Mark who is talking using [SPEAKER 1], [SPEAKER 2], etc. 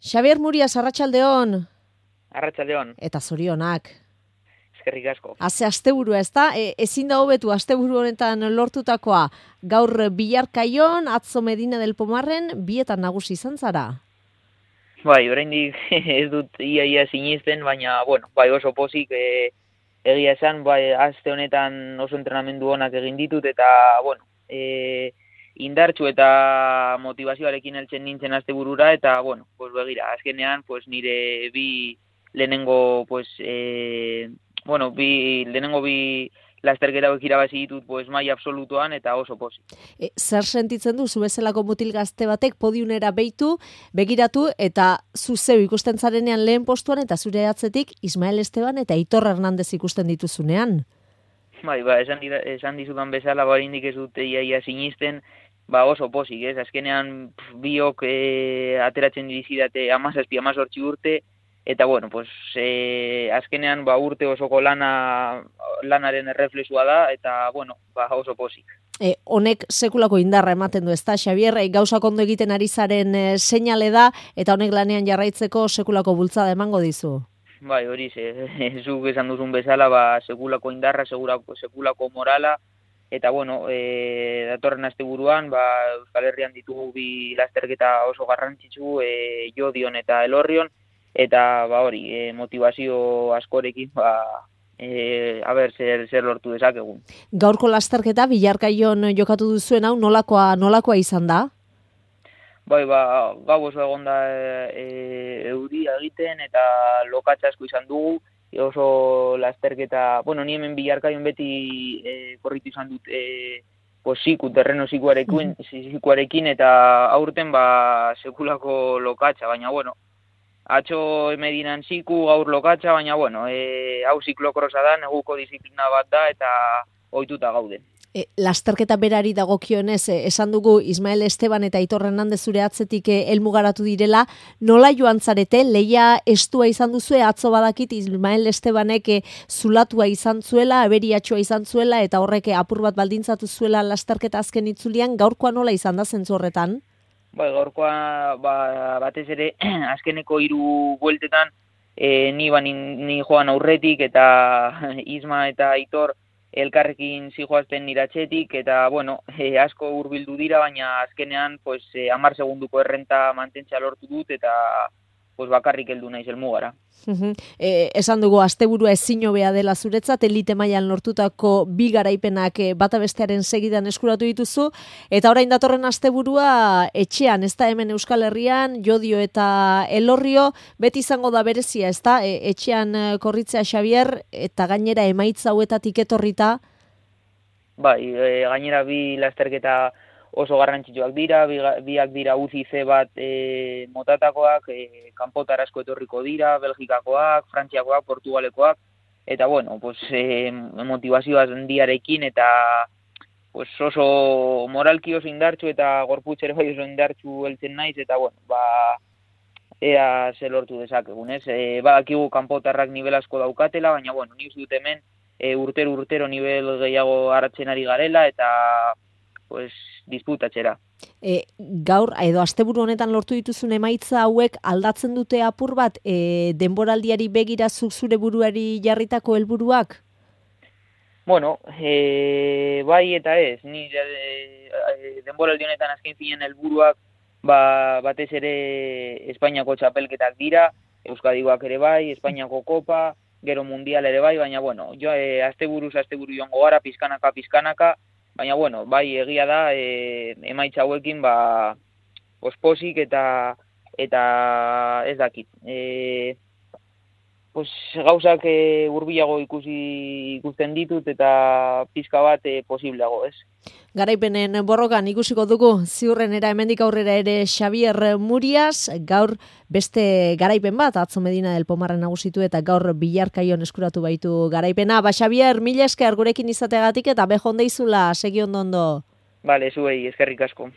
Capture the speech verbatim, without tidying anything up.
[SPEAKER 1] Xabier Murias, arratsaldeon.
[SPEAKER 2] Arratsaldeon.
[SPEAKER 1] Eta zorionak.
[SPEAKER 2] Eskerrik asko.
[SPEAKER 1] Haze asteburua, ezta? E, ezin da hobetu asteburu honetan lortutakoa. Gaur Bilarkaion, atzo Medina del Pomarren, bietan nagusi izan zara.
[SPEAKER 2] Bai, oraindik ez dut ia ia sinisten, baina bueno, bai oso pozik e, egia esan, bai aste honetan oso entrenamendu onak egin ditut eta bueno, e, indartsu eta motivazioarekin heltzen nintzen asteburura eta bueno, pues begira, azkenean pues nire bi lehenengo pues eh bueno, bi lehenengo bi lasterketa hauek irabazi ditut pues maila absolutoan eta oso pozik.
[SPEAKER 1] E, zer sentitzen du zu bezalako mutil gazte batek podiumera behitu, begiratu eta zu zeu ikusten zarenean lehen postuan eta zure atzetik Ismael Esteban eta Aitor Hernandez ikusten dituzunean?
[SPEAKER 2] Bai, ba, esan, dira, esan dizudan bezala, ba, indik ez dut ia, ia sinisten, ba, oso pozik, ez? Azkenean pf, biok e, ateratzen dizidate amazazpi, amazortzi urte, eta bueno, pues, e, azkenean ba, urte osoko lana, lanaren erreflexua da, eta bueno, ba, oso pozik.
[SPEAKER 1] E, honek sekulako indarra ematen du, ezta, Xabier, e, gauzak ondo egiten ari zaren e, seinale da, eta honek lanean jarraitzeko sekulako bultzada emango dizu.
[SPEAKER 2] Bai, hori, ze, zuk esan duzun bezala, ba, sekulako indarra, sekulako, sekulako morala, eta bueno, e, datorren asteburuan, ba, Euskal Herrian ditugu bi lasterketa oso garrantzitsu, e, Jodion eta Elorrion, eta ba hori, e, motivazio askorekin, ba, e, a ber, zer, zer lortu dezakegun.
[SPEAKER 1] Gaurko lasterketa Bilarkaion jokatu duzuen hau nolakoa, nolakoa izan da?
[SPEAKER 2] Bai, ba, gau oso egon da e, euria egiten eta lokatza asko izan dugu, e, oso lasterketa, bueno, ni hemen Bilarkaion beti e, korritu izan dut e, pues, ziku, terreno zikuarekin, zikuarekin eta aurten ba, sekulako lokatza, baina bueno, atzo Medinan ziku, gaur lokatza, baina bueno, e, hau ziklokrosa da, neguko disiplina bat da eta ohituta gaude.
[SPEAKER 1] E, lasterketa berari dagokionez, e, esan dugu Ismael Esteban eta Aitor Hernandez zure atzetik e, helmugaratu direla, nola joan zarete, leia estua izan duzue, atzo badakit Ismael Estebanek e, zulatua izan zuela, aberiatxoa izan zuela, eta horrek apur bat baldintzatu zuela lasterketa azken itzulian, gaurkoa nola izan da zentzu horretan?
[SPEAKER 2] Bai, gaurkoa ba, batez ere azkeneko hiru bueltetan e, ni, ba, ni, ni joan aurretik eta Isma eta Aitor elkarrekin zijoazten niratxetik, eta, bueno, e, asko hurbildu dira, baina azkenean, pues, e, hamar segunduko errenta mantentzea lortu dut, eta pues, bakarrik heldu naiz helmugara.
[SPEAKER 1] e, esan dugu, asteburua ezin hobea dela zuretzat, elite mailan lortutako bi garaipenak e, bata bestearen segidan eskuratu dituzu, eta orain datorren asteburua etxean, ez da hemen Euskal Herrian, Jodio eta Elorrio, beti izango da berezia, ez da, e, etxean korritzea Xabier, eta gainera emaitza hauetatik etorrita?
[SPEAKER 2] Bai, e, gainera bi lasterketa oso garrantzitsuak dira, bi, biak dira U C I C bat e, motatakoak, e, kanpotar asko etorriko dira, Belgikakoak, Frantziakoak, Portugalekoak, eta bueno, pues, e, motivazioa handiarekin eta pues, oso moralki oso indartsu eta gorputz ere bai oso indartsu heltzen naiz, eta bueno, ba, ea ze lortu dezakegun, ez? E, badakigu kanpotarrak nivel asko daukatela, baina bueno, ni uste dut hemen e, urtero urtero nivel gehiago hartzen ari garela, eta pues, disputatxera.
[SPEAKER 1] E, gaur, edo asteburu honetan lortu dituzun emaitza hauek aldatzen dute apur bat e, denboraldiari begira zuk zure buruari jarritako helburuak?
[SPEAKER 2] Bueno, e, bai eta ez. Ni e, e, denboraldi honetan azken finean helburuak ba, batez ere Espainiako txapelketak dira, Euskadikoak ere bai, Espainiako kopa, gero mundial ere bai, baina bueno, jo, e, asteburuz asteburu joango gara, pizkanaka, pizkanaka, baina, bueno, bai, egia da, e, emaitza hauekin, ba, osposik eta, eta ez dakit. E, pues, gauzak e, hurbilago ikusi ikusten ditut eta pizka bat e, posibleago, ez?
[SPEAKER 1] Garaipenen borrokan ikusiko dugu, ziurrenera hemendik aurrera ere Xabier Murias, gaur beste garaipen bat, atzo Medina del Pomarren nagusitu eta gaur Bilarkaion eskuratu baitu garaipena. Ba, Xabier, mila esker gurekin izateagatik eta bejon deizula, segi ondo ondo.
[SPEAKER 2] Bale, zuei, eskerrik asko.